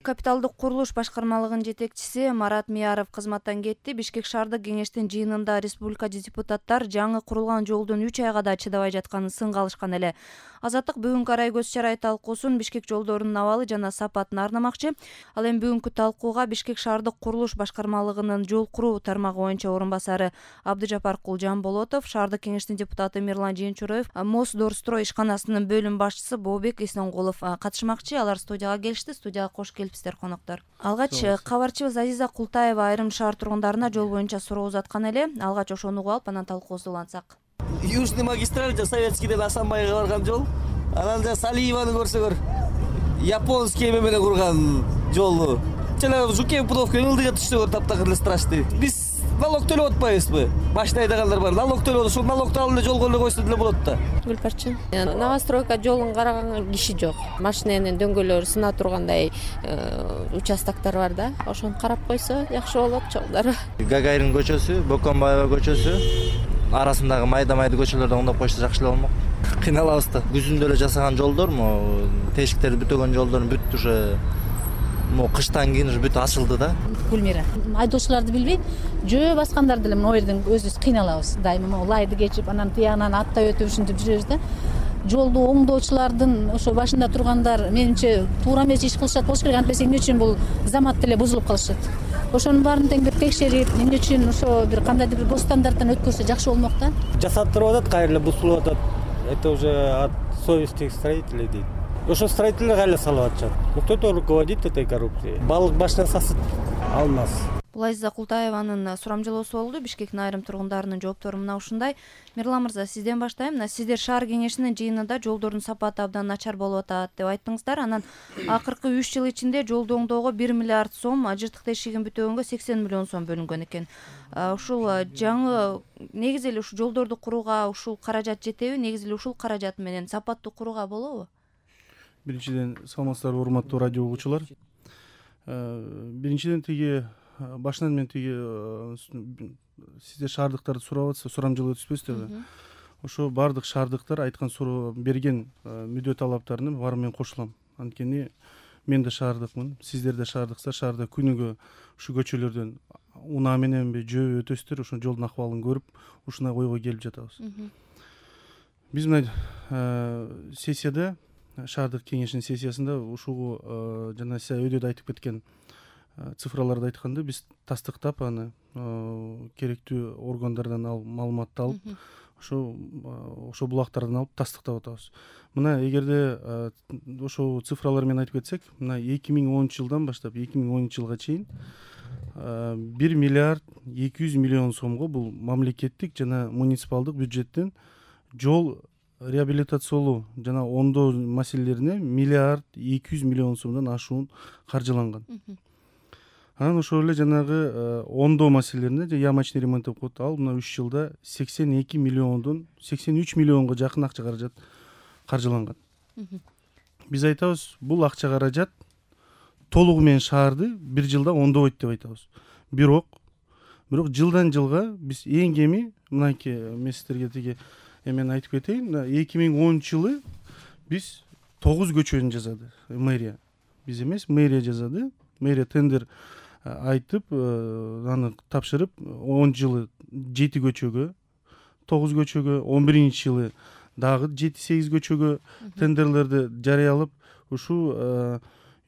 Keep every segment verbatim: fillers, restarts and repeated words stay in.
капиталдык курулуш башкармалыгынын жетекчиси Марат Мияров кызматтан кетти. Бишкек шаардык кеңештин жыйынында республика депутаттар жаңы курулган жолдун үч айга да чыдабай жатканын сынга алышкан эле. Азаттык бүгүнкү арай көз чарай талкуусун Бишкек жолдорунун абалы жана сапатын арнамакчы. Ал эми бүгүнкү талкууга Бишкек шаардык курулуш башкармалыгынын жол куруу тармагы боюнча орун басары Абдыжапаркул Жамболотов, шаардык кеңештин депутаты Мирлан Жээнчуроев, Мосдорстрой ишканасынын бөлүм башчысы Бообек Эсенгулов катышмакчы. Алар студияга келишти. Студияга кош келипсиздер, коноктор. Алгач кабарчыбыз Азиза Култаева айрым шаар тургундарына жол боюнча суроо узаткан эле. Алгач ошону угуп алып, анан талкуубузду улантсак. Южный магистраль жа Советскийден Асанбайга барган жол. Анан жа Салиеваны көрсөңөр, японский эме менен курган жолу. Жана Жукем Пудовка ылдыга түшсөңөр таптакыр эле страшный. Биз налог төлөп атпайбызбы? Машина айдагандар бар. Налог төлөп, ошол налогду алып эле жолго эле койсо деле болот да. Гүлпарчын. Новостройка жолун караган киши жок. Машинанын дөңгөлөрү сына тургандай участоктор бар да. Ошону карап койсо жакшы болот жолдор. Гагарин көчөсү, Бокомбаева көчөсү арасындагы майда-майда көчөлөрдө оңдоп койсо жакшы эле болмок. Кыйналабыз да. Күзүндө эле жасаган жолдорму, тешиктерди бүтөгөн жолдор бүт уже мо кыштан кийин уже бүт ачылды да. Гүлмира. Айдоочуларды билбейт, жөө баскандар деле моу жерден өзүбүз кыйналабыз. Дайыма лайды кечип, анан тиягынан аттай өтүп ушинтип жүрөбүз да. Жолду оңдоочулардын ошо башында тургандар менимче туура эмес иш кылышат болуш керек. Антпесе эмне үчүн бул замат деле бузулуп калышат. Ошонун баарын тең бир текшерип, эмне үчүн ошо бир кандайдыр бир госстандарттан өткөрсө жакшы болмок да. Жасаттырып атат, кайра эле бузулуп атат. Это уже от совести строителей дейт. Ошо строительдер кайра салып атышат. Кто-то руководит этой коррупцией. Балык башынан сасыт алмаз. Бул Азиза Култаеванын сурамжылоосу болду. Бишкектин айрым тургундарынын жооптору мына ушундай. Мирлан мырза, сизден баштайм. Мына сиздер шаар кеңешинин жыйынында жолдордун сапаты абдан начар болуп атат деп айттыңыздар. Анан акыркы үч жыл ичинде жолду оңдоого бир миллиард сом, жыртык тешигин бүтөгөнгө сексен миллион сом бөлүнгөн экен. Ушул жаңы негизи эле ушул жолдорду курууга ушул каражат жетеби? Негизи эле ушул каражат менен сапаттуу курууга болобу? Биринчиден, саламатсыздарбы урматтуу радио угуучулар. Биринчиден тиги башынан мен тиги сиздер шаардыктарды сурап атса, сурамжылоо түспөсүздөрбү? Ошо бардык шаардыктар айткан суроо берген мүдө талаптарына баары мен кошулам. Анткени мен да шаардыкмын, сиздер да шаардыксыздар. Шаарда күнүгө ушу көчөлөрдөн унаа мененби, жөө өтөсүздөр, ошо жолдун акыбалын көрүп, ушуна ойго келип жатабыз. Биз мына сессияда, шаардык кеңештин сессиясында ушул жана сиз өйдөдө айтып кеткен цифраларды айтканда биз тастыктап аны керектүү органдардан алып, маалыматты алып, ошо ошо булактардан алып тастыктап атабыз. Мына эгерде ошо цифралар менен айтып кетсек, мына эки миң онунчу жылдан баштап эки миң онунчу жылга чейин бир миллиард эки жүз миллион сомго бул мамлекеттик жана муниципалдык бюджеттен жол реабилитациялоо жана оңдоо маселелерине миллиард эки жүз миллион сомдон ашуун каржыланган. Анан ошол эле жанагы оңдоо маселелерине же ямочный ремонт деп коет, ал мына үч жылда сексен эки миллиондон сексен үч миллионго жакын акча каражат каржыланган. Биз айтабыз, бул акча каражат толугу менен шаарды бир жылда оңдобойт деп айтабыз. Бирок, бирок жылдан жылга биз эң кеми мынакей мен сиздерге тиги эмени айтып кетейин. эки миң онунчу жылы биз тогуз көчөнү жасады мэрия. Биз эмес, мэрия жасады. Мэрия тендер айтып, аны тапшырып, он жылы жети көчөгө, тогуз көчөгө, он биринчи жылы дагы жети сегиз көчөгө тендерлерди жарыялап, ушу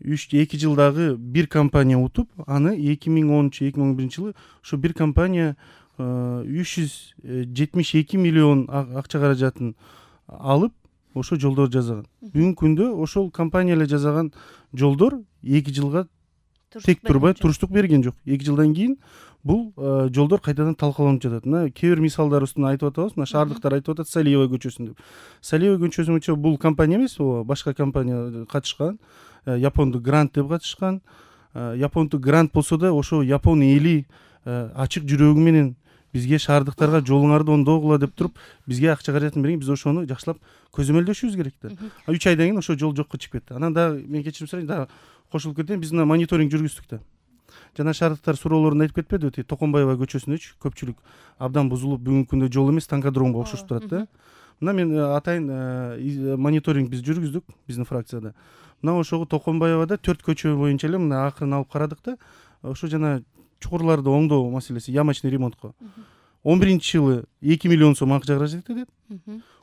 үч эки жылдагы бир компания утуп, аны эки миң онунчу эки миң он биринчи жылы ушу бир компания үч жүз жетимиш эки миллион акча каражатын алып, ошо жолдор жасаган. Бүгүнкү күндө ошол компания эле жасаган жолдор эки жылга тек турбай туруштук берген жок. эки жылдан кийин бул жолдор кайтадан талкаланып жатат. Мына кээ бир мисалдар үстүнө айтып атабыз. Мына шаардыктар айтып атат Салиева көчөсүн деп. Салиева көчөсүн үчү бул компания эмес, башка компания катышкан. Япондук грант деп катышкан. Япондук грант болсо да ошо Япон эли ачык жүрөгү менен бизге шаардыктарга жолуңарды оңдогула деп туруп, бизге акча каражатын берген, биз ошону жакшылап көзөмөлдөшүбүз керек да. үч айдан кийин ошо жол жокко чыгып кетти. Анан дагы мен кечирим сурайын, дагы кошулуп кетейин, биз мына мониторинг жүргүздүк да. Жана шаардыктар суроолорунда айтып кетпедиби, тиги Токомбаева көчөсүндөчү көпчүлүк абдан бузулуп, бүгүнкү күндө жол эмес, танкодромго окшошуп турат да. Мына мен атайын мониторинг биз жүргүздүк биздин фракцияда. мына ошого Токонбаевада төрт көчө боюнча эле мына акырын алып карадык да, ошо жана чукурларды оңдоо маселеси, ямочный ремонтко он биринчи жылы эки миллион сом акча каражат этет.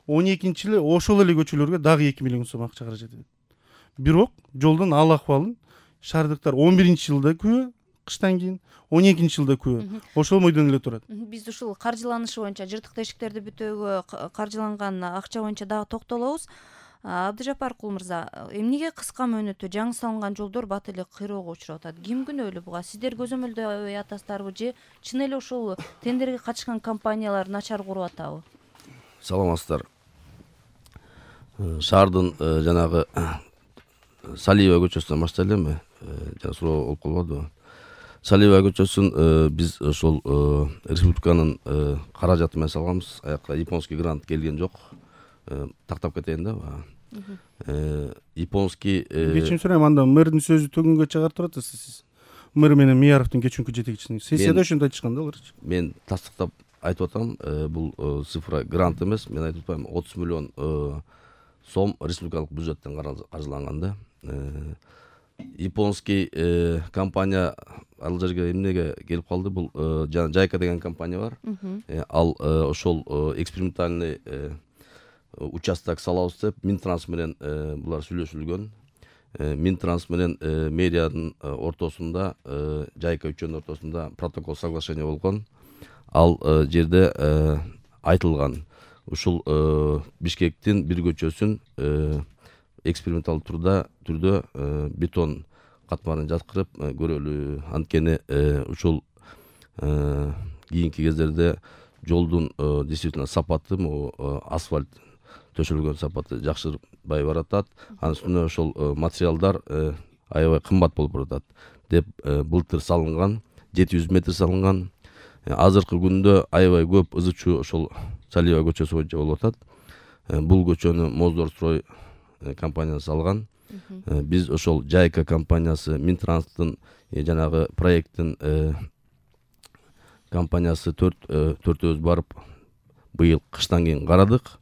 он экинчи жылы ошол эле көчөлөргө дагы эки миллион сом акча каражат этет. Бирок жолдун ал акыбалын шаардыктар он биринчи жылда күбө, кыштан кийин он экинчи жылда күбө. Ошол бойдон эле турат. Биз ушул каржыланышы боюнча, жыртык тешиктерди бүтөөгө каржыланган акча боюнча дагы токтолобуз. Абдыжаппар мырза, эмнеге кыска мөөнөттө жаңы салынган жолдор бат эле кыйроого учурап атат? Ким күнөөлүү буга? Сиздер көзөмөлдөй атасыздарбы же чын эле ошол тендерге катышкан компаниялар начар куруп атабы? Саламатсыздар. Шаардын жанагы Салиева көчөсүнөн баштайлы, жана суроо болуп калбадыбы? Салиева көчөсүн биз ошол республиканын каражаты менен салганбыз. Аякка японский грант келген жок. Тактап кетейин да. Японский кечим сурайм, анда мэрдин сөзү төгүнгө чыгарып турат сиз. Мэр менен Мияровдун кечинки жетекчисин сессияда ошентип айтышкан да алар. Мен тастыктап айтып атам, бул цифра грант эмес, мен айтып атпайм, отуз миллион сом республикалык бюджеттен каржыланган да. Японский компания ал жерге эмнеге келип калды? Бул жана Жайка деген компания бар. Ал ошол экспериментальный участок салабыз деп Минтранс менен булар сүйлөшүлгөн. Минтранс менен мэриянын ортосунда, Жайка үчөөнүн ортосунда протокол соглашение болгон. Ал жерде айтылган ушул Бишкектин бир көчөсүн эксперименталдуу турда түрдө бетон катмарын жаткырып көрөлү. Анткени ушул кийинки кездерде жолдун действительно сапаты, асфальт төшөлгөн сапаты жакшырбай баратат. Анын үстүнө ошол материалдар аябай кымбат болуп баратат деп былтыр салынган, жети жүз метр салынган. Азыркы күндө аябай көп ызы чуу ошол Салиева көчөсү боюнча болуп атат. Бул көчөнү Моздорстрой компаниясы салган. Биз ошол Жайка компаниясы, Минтранстын жанагы проекттин компаниясы төртөөбүз барып быйыл кыштан кийин карадык.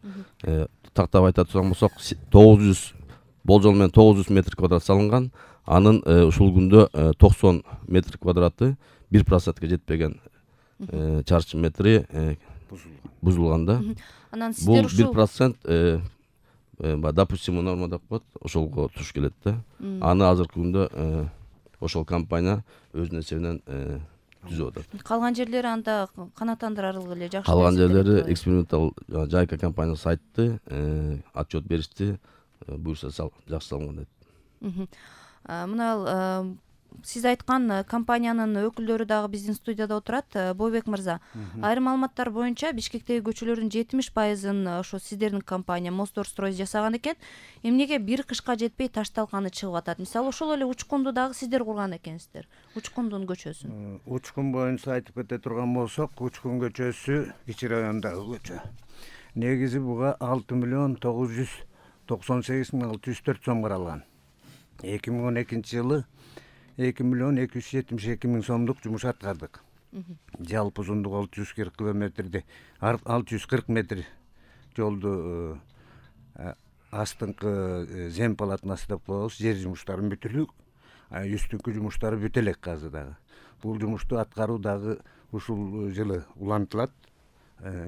Тактап айта турган болсок, тогуз жүз болжол менен тогуз жүз метр квадрат салынган. Анын ушул күндө токсон метр квадраты бир процентке жетпеген чарчы метри бузулган да. Бул бир процент допустимый норма деп коет, ошолго туш келет да. Аны азыркы күндө ошол компания өзүнүн эсебинен түзүп атат. Калган жерлери анда канааттандырарлык эле жакшы. Калган жерлери экспериментал Жайка компаниясы айтты, отчет беришти, буюрса жакшы салынган деп. Мына сиз айткан компаниянын өкүлдөрү дагы биздин студияда отурат. Бойбек мырза, айрым маалыматтар боюнча Бишкектеги көчөлөрдүн жетимиш пайызын ошо сиздердин компания Моздорстрой жасаган экен. Эмнеге бир кышка жетпей таш талканы чыгып атат? Мисалы ошол эле Учкунду дагы сиздер курган экенсиздер. Учкундун көчөсүн. Учкун боюнча айтып кете турган болсок, Учкун көчөсү Кичи райондагы көчө. Негизи буга алты миллион тогуз жүз токсон сегиз миң алты жүз төрт сом каралган. эки миң он экинчи жылы эки миллион эки жүз жетимиш эки миң сомдук жумуш аткардык. Жалпы узундугу алты жүз кырк километрди, алты жүз кырк метр жолду астыңкы зем полотнасы деп коебуз, жер жумуштарын бүтүлүк, үстүнкү жумуштары бүтө элек азыр дагы. Бул жумушту аткаруу дагы ушул жылы улантылат.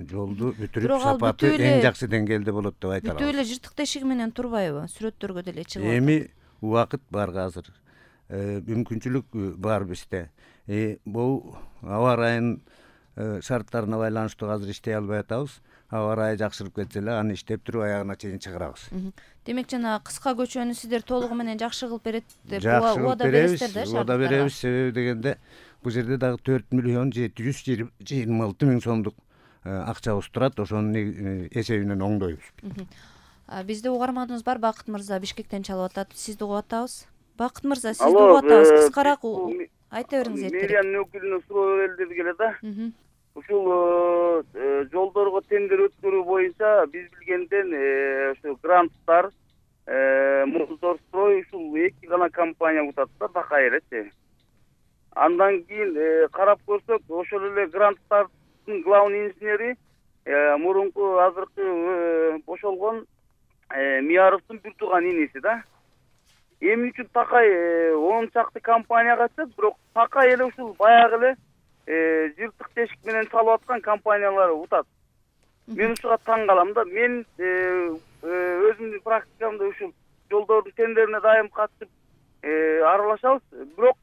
Жолду бүтүрүп сапаты эң жакшы деңгээлде болот деп айта алабыз. Бүтө эле жыртык тешиги менен турбайбы? Сүрөттөргө деле чыгып атат. Эми убакыт бар азыр. Мүмкүнчүлүк бар бизде. Бул аба ырайынын шарттарына байланыштуу азыр иштей албай атабыз. Аба ырайы жакшырып кетсе эле аны иштеп туруп аягына чейин чыгарабыз. Демек жана кыска көчөнү сиздер толугу менен жакшы кылып берет деп убада бересиздер да? Убада беребиз, себеби дегенде бул жерде дагы төрт миллион жети жүз жыйырма алты миң сомдук акчабыз турат, ошонун эсебинен оңдойбуз. Бизде угарманыбыз бар, Бакыт мырза Бишкектен чалып атат. Сизди угуп атабыз. Бакыт мырза, сизди угуп атабыз. Кыскараак айта бериңиз эртерээк. Мэриянын өкүлүнө суроо берилди келе да. Ушул жолдорго тендер өткөрүү боюнча биз билгенден ошо гранттар Моздорстрой ушул эки гана компания утат да, бака элечи. Андан кийин карап көрсөк, ошол эле гранттардын главный инженери мурунку азыркы бошолгон Мияровдун бир тууган иниси да. эмне үчүн такай он чакты компания качат, бирок такай эле ушул баягы эле жыртык тешик менен салып аткан компаниялар утат. Мен ушуга таң калам да. Мен өзүмдүн практикамда ушул жолдордун тендерине дайым катышып аралашабыз, бирок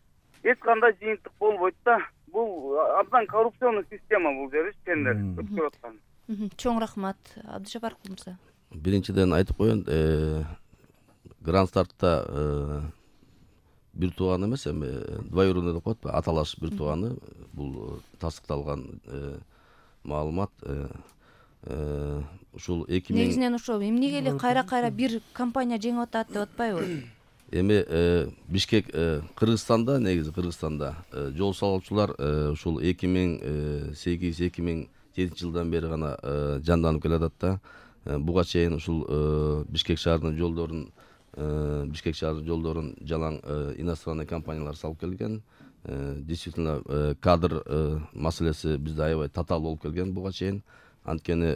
эч кандай жыйынтык болбойт да. Бул абдан коррупционный система бул жериш тендер өткөрүп аткан. Чоң рахмат, Абдыжапаров мырза. Биринчиден айтып коеюн, гранд стартта бир тууган эмес, эми двоюродный деп коет, аталаш бир тууганы, бул тастыкталган маалымат. Ушул эки миң негизинен ошо эмнеге эле кайра-кайра бир компания жеңип атат деп атпайбы? Эми Бишкек Кыргызстанда, негизи Кыргызстанда жол салуучулар ушул эки миң сегиз эки миң жетинчи жылдан бери гана жанданып келатат да. Буга чейин ушул Бишкек шаарынын жолдорун Бишкек шаарынын жолдорун жалаң иностранный компаниялар салып келген. Действительно кадр маселеси бизде аябай татаал болуп келген буга чейин. Анткени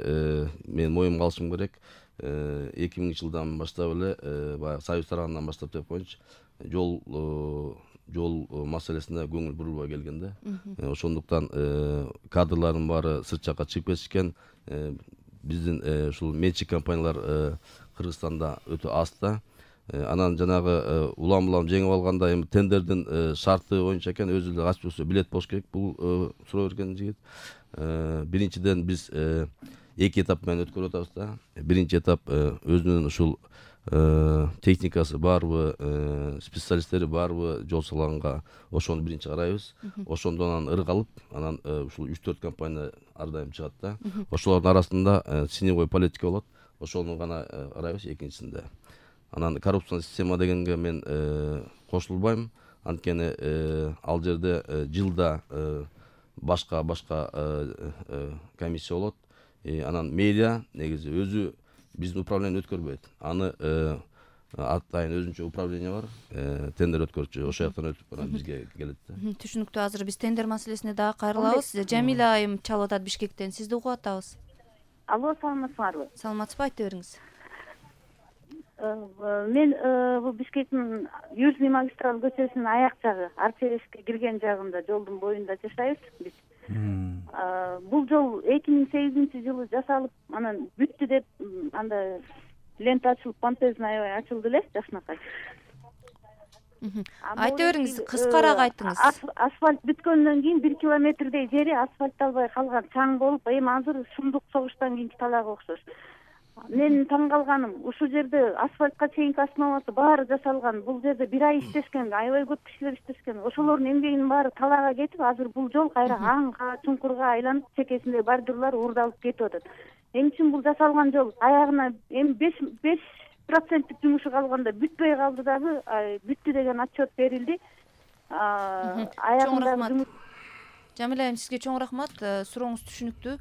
мен моюмга алышым керек. эки миңинчи жылдан баштап эле баягы Союз тарабынан баштап деп коеюнчу, жол жол маселесине көңүл бурулбай келген да. Ошондуктан кадрлардын баары сырт жакка чыгып кетишкен. Биздин ушул менчик компаниялар Кыргызстанда өтө аз да. Анан жанагы улам-улам жеңип алганда эми тендердин шарты боюнча экен, өзү эле ачып болсо билет болуш керек. Бул суроо берген жигит. Биринчиден биз эки этап менен өткөрүп атабыз да. Биринчи этап өзүнүн ушул техникасы барбы, специалисттери барбы жол салганга, ошону биринчи карайбыз. Ошондон анан ыргалып, анан ушул үч төрт компания ар дайым чыгат да. Ошолордун арасында синевой политика болот. Ошону гана карайбыз экинчисинде. Анан коррупциялык система дегенге мен кошулбайм. Анткени ал жерде жылда башка башка комиссия болот. Анан медиа негизи өзү биздин управление өткөрбөйт. Аны атайын өзүнчө управление бар, тендер өткөрчү. Ошол жактан өтүп анан бизге келет да. Түшүнүктүү. Азыр биз тендер маселесине дагы кайрылабыз. Жамиля айым чалып атат Бишкектен. Сизди угуп атабыз. Алло, саламатсыңарбы? Саламатсызбы, айта бериңиз. Мен бул Бишкектин Южный магистраль көчөсүнүн аяк жагы, Арчевешке кирген жагында жолдун боюнда жашайбыз биз. Бул жол эки миң сегизинчи жылы жасалып, анан бүттү деп анда лента ачылып, помпезный аябай ачылды эле жакшынакай. Айта бериңиз, кыскараак айтыңыз. Асфальт бүткөндөн кийин бир километрдей жери асфальтталбай калган, чаң болуп, эми азыр сундук согуштан кийинки талагы окшош. Мен таң калганым, ушул жерде асфальтка чейинки основасы баары жасалган. Бул жерде бир ай иштешкен, аябай көп кишилер иштешкен. Ошолордун эмгегинин баары талага кетип, азыр бул жол кайра аңга, чуңкурга айланып, чекесинде бордюрлар уурдалып кетип атат. Эмне үчүн бул жасалган жол аягына эми беш проценттик жумушу калганда бүтпөй калды дагы, бүттү деген отчет берилди. Аягында Жамиля айым, сизге чоң рахмат. Сурооңуз түшүнүктүү.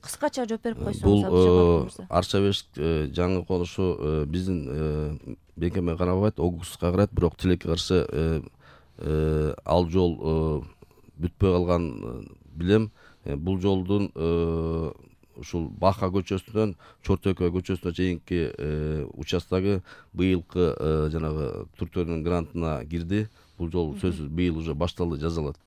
Кыскача жооп берип койсоңуз. Бул Арчабеш жаңы конушу биздин бекеме карабайт, Огуска карайт, бирок тилекке каршы ал жол бүтпөй калган билем. Бул жолдун ушул Баха көчөсүнөн Чортөкөй көчөсүнө чейинки участогу быйылкы жанагы түрктөрдүн грантына кирди. Бул жол сөзсүз быйыл уже башталды, жазалат.